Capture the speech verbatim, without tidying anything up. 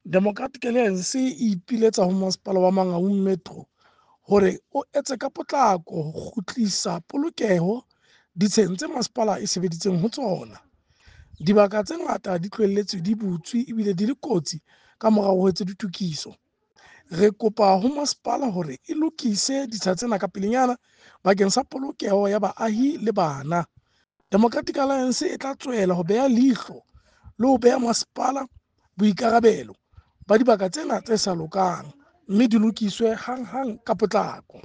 Democratic Alliance e ipiletsa ho Masepala wa Mangaung Metro hore o etse ka potlako ho kgutlisa polokeho ditsheng tse masepala e sebeditseng ho tsona. Dibaka tse ngata di tlohelletswe di butswe ebile di le kotsi ka morao ho etswe ditokiso. Re kopa ho masepala hore e lokise ditsha tsena ka pelenyana bakeng sa polokeho ya baahi le bana. Democratic Alliance e tla tswela ho beha leihlo le ho beha masepala boikarabelo ba dibaka tsena tse sa lokang mme di lokiswe hanghang ka potlako.